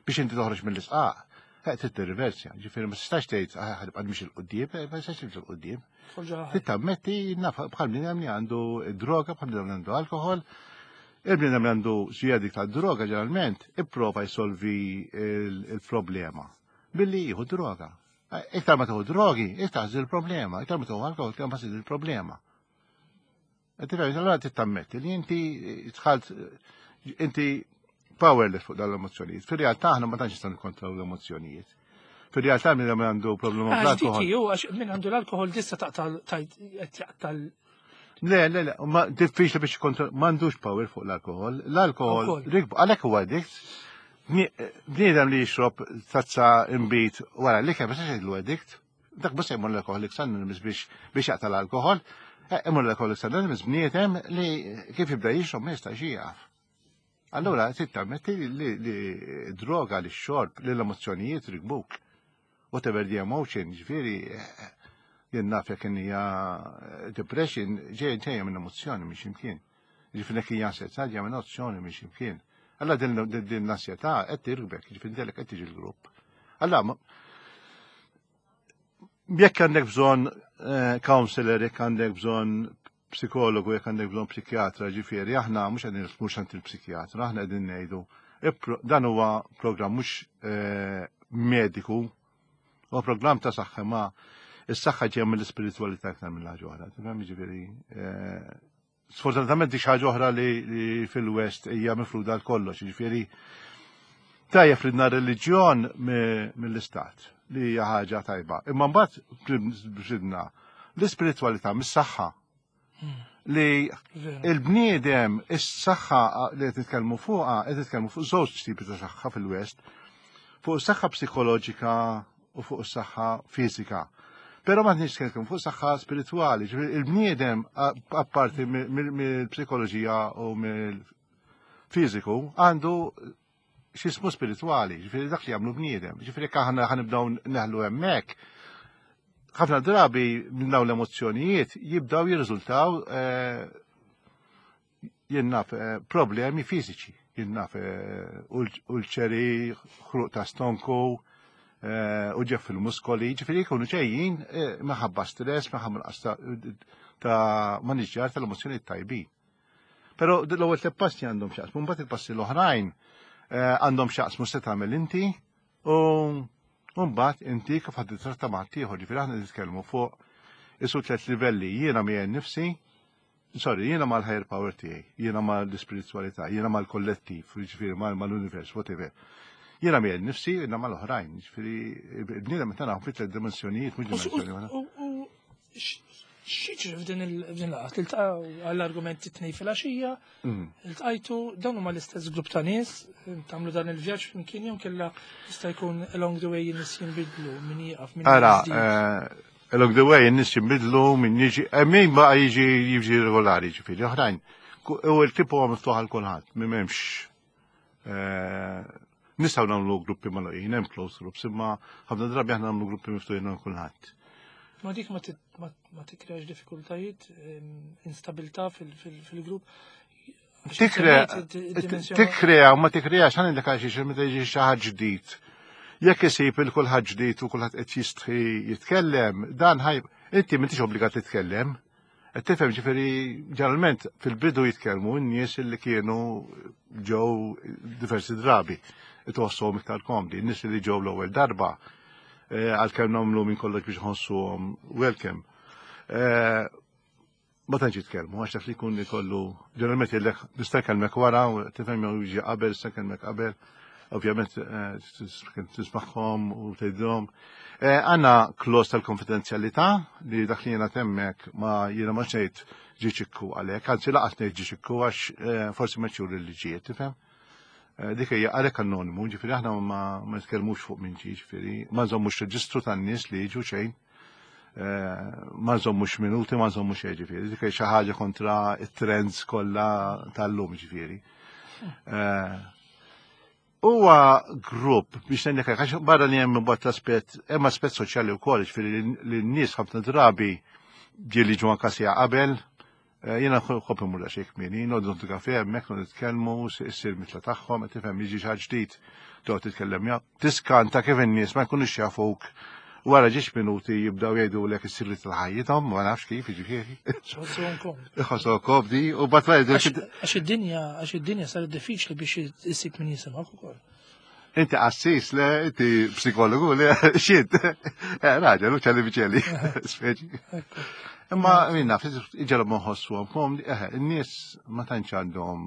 biex inti toħroġ mill-isqaq. Trid tirriversja, ġifieri ma tistax tgħid "Ah, ħa nibqa' nimxi 'l quddiem", ma tistax timxi 'l quddiem. Trid tammetti naf bħal bniedem li għandu droga, bħal bniedem li għandu alkohol. Il-bniedem li għandu xi addict ta' droga ġeneralment ipprova jsolvi il-problema billi jieħu droga. Iktar ma tieħu drogi, iktar ħażin il-problema, iktar ma tieħu alkohol, iktar ma ħażin il-problema. Tifhem, allora trid tammetti li inti dħalt inti powerless fuq dawn l-emozzjonijiet. Fir-realtà aħna ma tantx nistgħu nikkontrollaw l-emozzjonijiet. Fir-realtà min għandu problema Għax dik bl-alkohol. hi, għax min għandu l-alkohol tista' taqta' Le, le, le, ma diffiċli biex kontroll, m'għandux power fuq l-alkohol. L-alkohol, Ukoll. rikbu, għalhekk huwa addict. Bniedem li jixrob tazza imbit wara li kemm ma jgħidlu addict. Dak mhux se jmur l-Alcoholics Anonymous biex jaqta' l-alkohol. Imur l-Alcoholics Anonymous bniedem li kif jibda jixrob ma jistax jieqaf. Allura, trid tammetti li droga, li xorb, li l-emozzjonijiet rikbuk. Whatever the emotion, ġifieri, jien naf jekk hija depression, ġejja minn emozzjoni minn ximkien. Ġifieri jekk hija ansjetà ġejja minn emozzjoni minn ximkien. Allora din l-ansjetà qed tirkbek, ġifieri dellek qed tiġi l-grupp. Allora, jekk għandek bżonn counselor, jekk għandek bżonn psikologu, jekk għandek bżonn psikjatra, ġifieri, aħna mhux qegħdin mhux għand il-psikjatra, aħna qegħdin ngħidu dan huwa programm mhux mediku, huwa programm ta' saħħa ma is-saħħa ġejja mill-ispiritwalità aktar mill ħaġa oħra. Tifhem ġifieri sfortunatament dik xi ħaġa oħra li fil-West hija mifruda l kollox, ġifieri tajjeb li reliġjon mill-istat li hija ħaġa tajba. Imma mbagħad bżidna l-ispiritwalità mis-saħħa li il-bniedem is-saħħa li qed nitkellmu fuqha qed nitkellmu fuq żewġ tipi ta' saħħa fil-West, fuq is-saħħa psikoloġika u fuq is-saħħa fiżika. Però ma nitkellmu fuq saħħa spiritwali, ġifieri il-bniedem apparti mill-psikoloġija u mill-fiżiku għandu x'ismu spiritwali, ġifieri dak li jagħmlu bniedem. Ġifieri jekk aħna ħa nibdew neħlu hemmhekk, ħafna drabi minn dawn l-emozzjonijiet jibdew jirriżultaw jien naf problemi fiżiċi, jien naf ulċeri, ħruq ta' stonku, uġigħ fil-muskoli, ġifieri jkunu ġejjin minħabba stress, minħabba nuqqas ta' maniġġjar tal-emozzjonijiet tajbin. Però l-ewwel tliet passi għandhom x'jaqsmu, mbagħad il-passi l-oħrajn għandhom x'jaqsmu se tagħmel inti u mbagħad inti kif ħadd titratta ma' ieħor, ġifieri aħna nitkellmu fuq isu tliet livelli, jiena miegħi nnifsi, sorry, jiena mal-higher power tiegħi, jiena mal-ispiritwalità, jiena mal-kollettiv, ġifieri mal-univers, whatever. Jiena miegħi nnifsi, jiena mal-oħrajn, ġifieri bniedem meta nagħmlu fi tliet dimensjonijiet, mhux dimensjoni waħda. U x'jiġri f'din laqgħa? Tiltaqgħu għall-argumenti tnej filgħaxija, iltqajtu dawn huma l-istess grupp ta' nies, tagħmlu dan il-vjaġġ flimkien jew kella jista' jkun along the way nies jinbidlu min jieqaf min Ara, jiżdied. Along the way, n-nies jinbidlu, min jiġi, eh, min baqa jiġi jiġi regolari, ġifieri, oħrajn. U l-tipu huwa miftuħ għal kulħadd, m'hemmx eh, nistgħu nagħmlu gruppi magħluqin, hemm closed groups, imma ħafna drabi aħna nagħmlu gruppi miftuħin għal kulħadd. Ma dik ma tikreax diffikultajiet, instabilità fil-grupp. Tikrea u ma tikreax ħan indek għal meta jiġi xi ħadd ġdid. Jekk isib il kulħadd ġdid u kulħadd qed jistħi jitkellem, dan ħaj inti m'intix obbligat titkellem. Qed tifhem ġifieri ġeneralment fil-bidu jitkellmu n-nies li kienu ġew diversi drabi itħossuhom iktar komdi, n-nies li ġew l-ewwel darba eh, għalkemm nagħmlu minn kollox biex ħossuhom welcome. Eh, ma tantx jitkellmu għax taf li jkun ikollu ġeneralment jgħidlek nista' nkellmek wara u tifhem jew jiġi qabel nista' nkellmek qabel. Ovvjament eh, tismagħhom u tgħidilhom. Eh, għandna klos tal-konfidenzjalità li dak li jiena temmek ma jiena ma xejt ġi ċikku għalhekk, anzi laqas ngħid ġi ċikku għax eh, forsi ma ċur li ġiet, tifhem? Dik hija għalhekk anonimu, ġifieri aħna ma nitkellmux fuq minn ġi, ġifieri ma nżommux reġistru tan-nies li jiġu xejn. Eh, ma nżommux minuti, ma nżommux xejn ġifieri. Dik xi ħaġa kontra it-trends kollha tal-lum ġifieri. Eh, huwa grupp biex ngħidlek għax barra li hemm imbagħad l-aspett, hemm aspett soċjali wkoll, ġifieri li n-nies ħafna drabi ġieli ġu anka sija qabel, Eh, jiena nħobb imur daqsxejn kmieni, noqgħod noħdu kafe hemmhekk noqgħod nitkellmu, issir mitla tagħhom, qed tifhem jiġi xi ġdid toqgħod titkellem ja. Tiskanta kif in-nies ma jkunux jafuk wara ġiex minuti jibdaw jgħidulek is-sirri tal-ħajjithom, ma nafx kif jiġifieri. Iħossuhom komdi u bat ma jgħidu. Għax id-dinja, għax id-dinja saret diffiċli biex issib min jisimgħek ukoll. Inti qassis, le, inti psikologu, le, xint. Eh, raġel, u ċelli biċelli, speċi. Imma minna, iġelhom nħossu għom, eh, n-nies ma tantx għandhom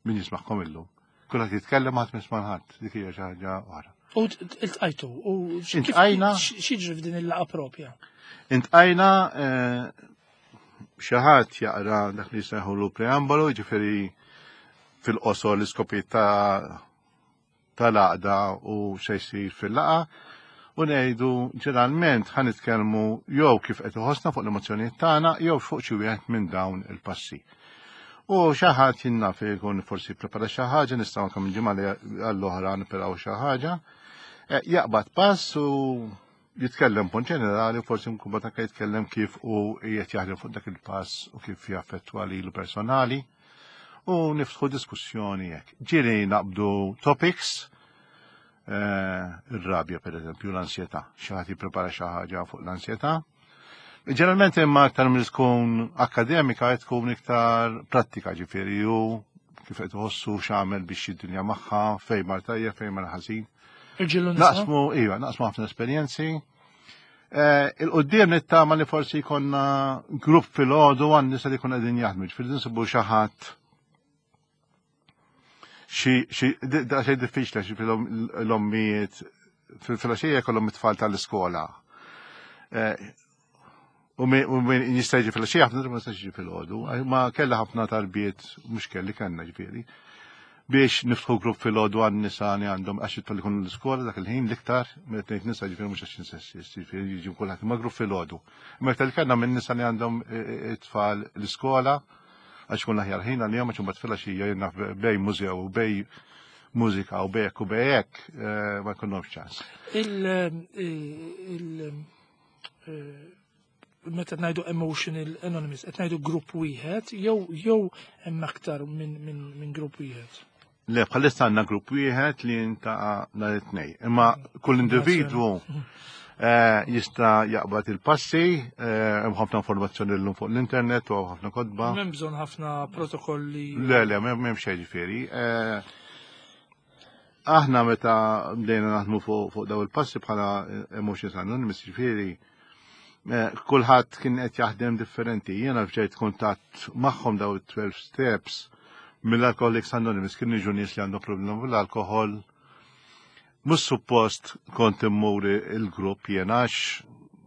min jismaħkom illum. Kulħadd jitkellem ħadd misma' ħadd, dik hija xi ħaġa oħra. U iltqajtu, u Intqajna. X'jiġri f'din il-laqa propja? Intqajna eh, xi ħadd jaqra dak li jsejħulu preambolu, jiġifieri fil-qosor l-iskopijiet ta' tal-għaqda u se jsir fil-laqgħa u ngħidu ġeneralment ħa nitkellmu jew kif qed iħossna fuq l-emozzjonijiet tagħna jew fuq xi wieħed minn dawn il-passi. U xi ħadd jinnaf jkun forsi prepara xi ħaġa, nistgħu anke minn ġimgħa għall-oħra niperaw xi ħaġa. Eh, jaqbad pass u jitkellem punt ġenerali u forsi nkun bat anke jitkellem kif u qiegħed jaħdem fuq dak il-pass u kif jaffettwa lilu personali u niftħu diskussjoni hekk. Ġieli naqbdu topics, eh, ir-rabja per eżempju, l-ansjetà. Xi ħadd jipprepara xi ħaġa fuq l-ansjetà. Ġeneralment imma aktar mill tkun akademika qed tkun iktar prattika ġifieri u kif qed iħossu x'għamel biex id-dinja magħha, fejn mar tajjeb, fejn mar ħażin. Naqsmu, iva, naqsmu ħafna esperjenzi. Eh, il-qoddim nittama li forsi jkollna grupp fil-ħodu għan nisa li kuna din jaħdmu, ġifieri nsibu xi ħadd xi xi diffiċli xi l-ommijiet fil-filgħaxija jkollhom it-tfal tal-iskola. Eh, U min jista' jiġi fil-xi ħafna ma jistax jiġi fil-ħodu, ma kellha ħafna talbiet mhux kelli kellna ġifieri. Biex niftħu grupp fil-ħodu għan nisa li għandhom għax it ikunu l-iskola dak il-ħin l-iktar, meta ngħid nisa ġifieri mhux għax insessist, ġifieri jiġi kulħadd imma grupp fil-ħodu. Imma iktar li kellna minn nisa li għandhom e, e, it-tfal l-iskola għax kun l-aħjar ħin għalihom għax imbagħad filgħaxija jiena bej mużew u bej mużika u bejek u bejek e, ma jkunhomx ċans. Il Eh, meta ngħidu emotional anonymous, qed ngħidu grupp wieħed jew jew hemm aktar minn min, min grupp wieħed. Le, bħalissa għandna grupp wieħed li jintaqa' nhar it-tnejn. Imma kull individwu eh, jista' jaqbad il-passi, eh, hemm ħafna informazzjoni llum fuq l-internet u ħafna kotba. M'hemm bżonn ħafna protokolli. Le, le, m'hemm xejn ġifieri. Aħna meta bdejna naħdmu fuq daw il-passi bħala Emotions Anonymous, ġifieri, eh, kulħadd kien qed jaħdem differenti. Jiena fġejt kuntatt magħhom daw it-12 steps mill-Alcoholics Anonymous kien jiġu nies li għandhom problema bil-alkohol. Mhux suppost kont immur il-grupp jiena għax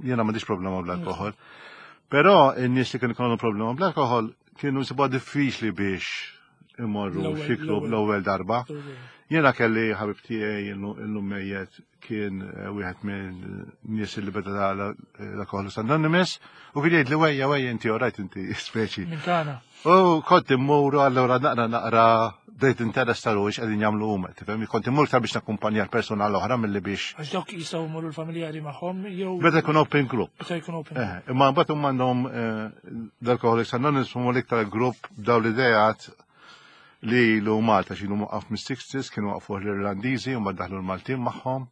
jiena m'għandix problema bl-alkohol. Però n-nies li kienu jkollhom problema bl-alkohol kienu jsibuha diffiċli biex imorru xi klub l-ewwel darba. Jiena kelli ħabib tiegħi illum mejjet kien eh, wieħed minn nies li beda l-Alcoholics Anonymous u kien jgħid li wejja wejja inti orajt inti speċi. U kont immuru allura naqra naqra bdejt interess ta' ruħi x'qegħdin jagħmlu huma, tifhem? Kont immur iktar biex nakkumpanja l-persuna l-oħra milli biex. Għax dawk jistgħu jmorru l-familjari magħhom jew. Meta jkun open group. Meta jkun open. Eh, imma mbagħad huma għandhom eh, l-Alcoholics Anonymous huma l-iktar grupp daw l-idejat li ilu Malta x'ilu muqqaf mis-60s kienu waqfuh l-Irlandiżi u mbagħad daħlu l-Maltin magħhom.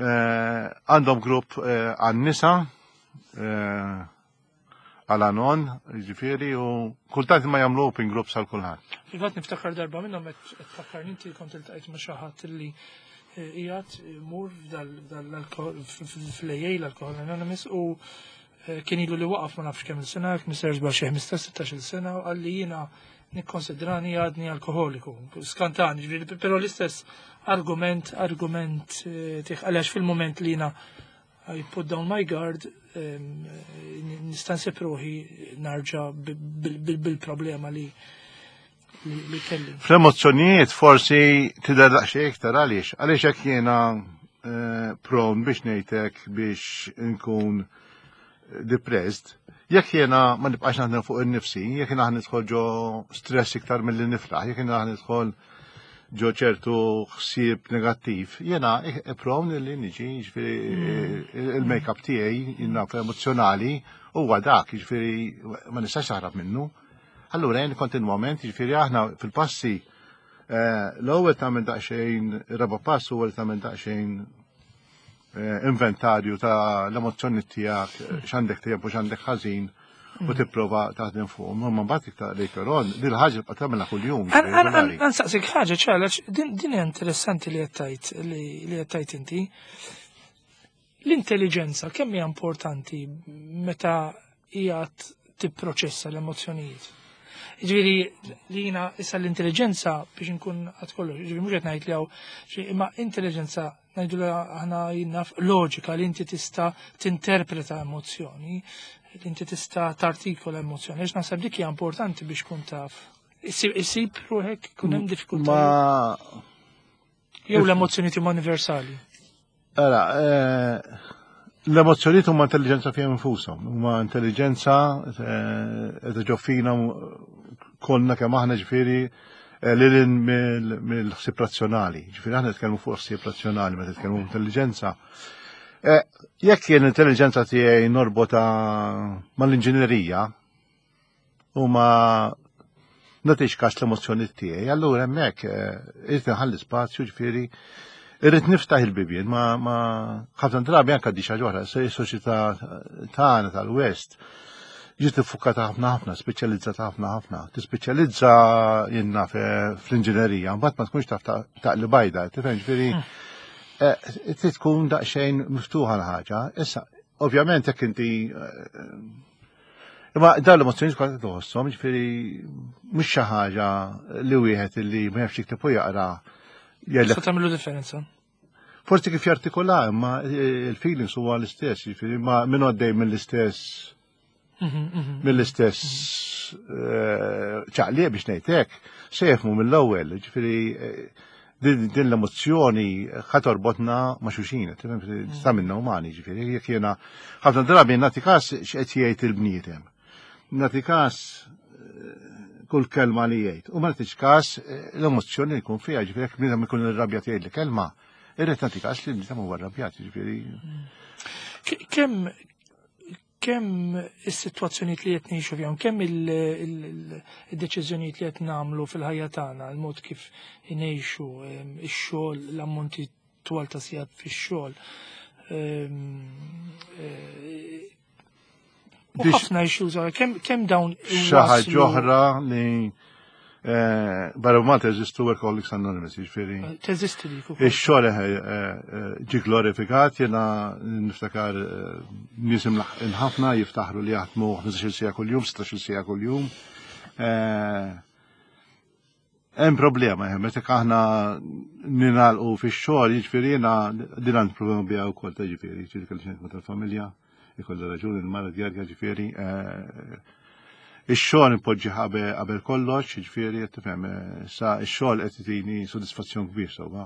Eh, għandhom grupp għan-nisa għal anon, ġifieri, u kultant ma jagħmlu open groups għal kulħadd. Fil-fatt niftakar darba minnhom qed tfakkarni inti kont iltqajt ma' xi ħadd li eh, qiegħed mur fl-AA l-Alcohol Anonymous u eh, kien ilu li waqaf ma nafx kemm il-sena, kien żball xi 15-16 sena u qalli jiena nikkonsidrani għadni alkoholiku. Skantani, ġifieri, però l-istess argument, argument eh, tiħ għalax fil-moment li jiena I put down my guard, nista' nsib ruħi narġa' bil-problema li li kelli. Fl-emozzjonijiet forsi tidher daqsxejn iktar għaliex, għaliex hekk jiena eh, prone biex ngħidlek biex nkun depressed, jekk jiena ma nibqax naħdem fuq in-nifsi, jekk jiena nidħol ġo stress iktar milli nifraħ, jekk jiena nidħol ġo ċertu ħsieb negattiv, jena prone li niġi, ġifieri mm. il-make-up tiegħi jiena emozjonali huwa dak, ġifieri ma nistax taħrab minnu. Allura jien kontinwament, ġifieri aħna fil-passi eh, l-ewwel tagħmel daqsxejn raba' pass huwa li tagħmel daqsxejn eh, inventarju ta' l-emozzjoni tiegħek, eh, x'għandek tajjeb u x'għandek ħażin u mm. tipprova taħdem fuq. Ma mbagħad iktar later on, din il-ħaġa tibqa' tagħmilha kuljum. Ansaqsik ħaġa ċalax, din hija interessanti li qed tgħid li qed tgħid inti. L-intelligenza kemm hija importanti meta hija tipproċessa l-emozzjonijiet? Ġifieri li jiena issa l-intelligenza biex inkun għad kollox, ġifieri mhux qed ngħid li hawn, imma intelligenza ngħidu li aħna jinnaf loġika li inti tista' tinterpreta emozzjoni, li inti tista' tartikola emozzjoni, għax naħseb dik hija importanti biex kun taf. Isib ruħek kun hemm diffikultà. Ma Jew l-emozzjoni huma universali. Ara, eh, l-emozzjonijiet huma intelligenza fihom infushom, huma intelligenza eh, qed ġoffina kollna kemm aħna ġifieri eh, lil mill-ħsieb razzjonali. Ġifieri aħna nitkellmu fuq ħsieb razzjonali meta nitkellmu intelligenza. Eh, jekk jien l-intelligenza tiegħi norbota mal-inġinerija u ma nagħtix każ l-emozzjoni tiegħi, allura hemmhekk eh, irid inħalli spazju ġifieri irrid niftaħ il-bibien ma ħafna drabi anke di xi ħaġa oħra, is-soċjetà tagħna tal-West ġiet iffukata ħafna ħafna, speċjalizzata ħafna ħafna. Tispeċjalizza jenna fl-inġinerija, mbagħad ma tkunx taf taqli bajda, tifhem ġifieri hmm. eh, trid tkun daqsxejn miftuħa l-ħaġa. Issa, ovvjament jekk inti eh, Imma dawn l-emozzjonijiet kollha tħosshom, ġifieri mhux xi ħaġa li wieħed li ma jafx jikteb u jaqra. Sa tagħmlu differenza. Forsi kif jartikola, imma il-feelings huwa l-istess, jiġifieri ma minn għaddej mill-istess mhm, mhm. mill-istess eh, ċaqliq biex ngħidlek, se jifhmu mill-ewwel, jiġifieri eh, din l-emozzjoni ħa torbotna ma' xulxin, mhm. ta' minna umani, ġifieri, jekk jiena ħafna drabi nagħti każ x'qed jgħid il-bniedem. Nagħti każ eh, kull kelma li jgħid. U ma nagħtix każ l-emozzjoni li jkun fiha, ġifieri jekk bniedem ikun irrabjat jgħid li kelma, Irrid nagħti każ li bniedem huwa rrabjat, jiġifieri. Kemm kemm is-sitwazzjonijiet li qed ngħixu fihom, kemm il-deċiżjonijiet li qed nagħmlu fil-ħajja tagħna, il-mod kif ngħixu, ix-xogħol, l-ammonti twal ta' sigħat fix-xogħol. Eh, U ħafna issues kemm dawn xi ħaġa oħra li eh, barra Malta jeżistu Workaholics Anonymous, jiġifieri. Eh, teżisti dik ukoll. Ix-xogħol eh, ġi glorifikat, jiena niftakar nies imlaħqin ħafna jiftaħru li jaħdmu 15-il siegħa kuljum, 16-il siegħa kuljum. Hemm problema, eh, meta aħna ninalqu fix-xogħol, jiġifieri jiena din għandi problema biha wkoll ta' ġifieri, ġifieri kelli xejn tal-familja, ikolli raġuni l-mara djarja ġifieri. Eh, Ix-xogħol impoġġi qabel kollox, jiġifieri qed tifhem, sa x-xogħol qed itini sodisfazzjon kbir sewwa.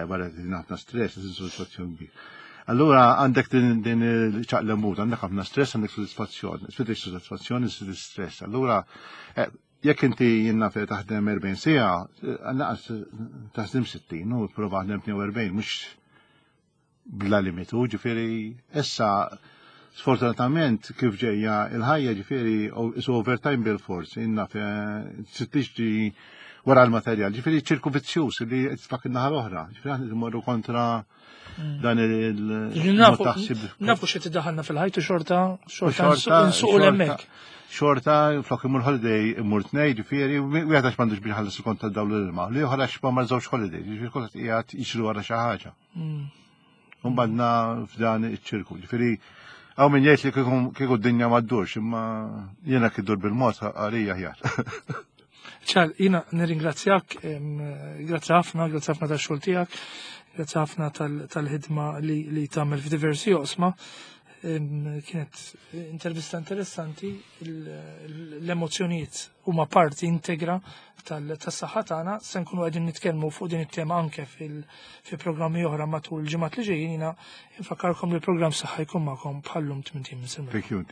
Wara qed itini ħafna stress, qed sodisfazzjon kbir. Allura għandek din il-ċaqlemut, għandek ħafna stress, għandek sodisfazzjon. Tfittex sodisfazzjon, issir stress. Allura jekk inti jiena fejn taħdem 40 siegħa, naqas taħdem 60 u prova taħdem 42, mhux bla limitu, ġifieri issa sfortunatament kif ġejja il-ħajja, ġifieri is overtime bil-fors, inna tiġri wara l-materjal, ġifieri ċirku vizzjuż li tfak in-naħa l-oħra, ġifieri aħna mmorru kontra dan il Nafu xi tiddaħħalna fil-ħajtu xorta xorta nsuqu l-hemmhekk. Xorta, flok imur holiday imur tnej, ġifieri, wieħed għax m'għandux biex ħallas il-kont tad-dawl l-ilma, li oħra għax ma mar żewġ holiday, ġifieri kulħadd qiegħed jiġri wara xi ħaġa. Umbadna f'dan iċ-ċirku, ġifieri hawn min jgħid li kieku d-dinja ma ddurx, imma jiena kif dur bil-mod għalija aħjar. Ċar, jiena nirringrazzjak, grazzi ħafna, grazzi ħafna tax-xogħol tiegħek, grazzi ħafna tal-ħidma li tagħmel f'diversi oqsma. Kienet intervista interessanti, l-emozzjonijiet huma parti integra tas-saħħa tagħna, se nkunu qegħdin nitkellmu fuq din it-tema anke fi programmi oħra matul il-ġimgħat li ġejjin. Jiena infakkarkom li l-programm Saħħa jkun magħkom bħallum 80 minn Thank you.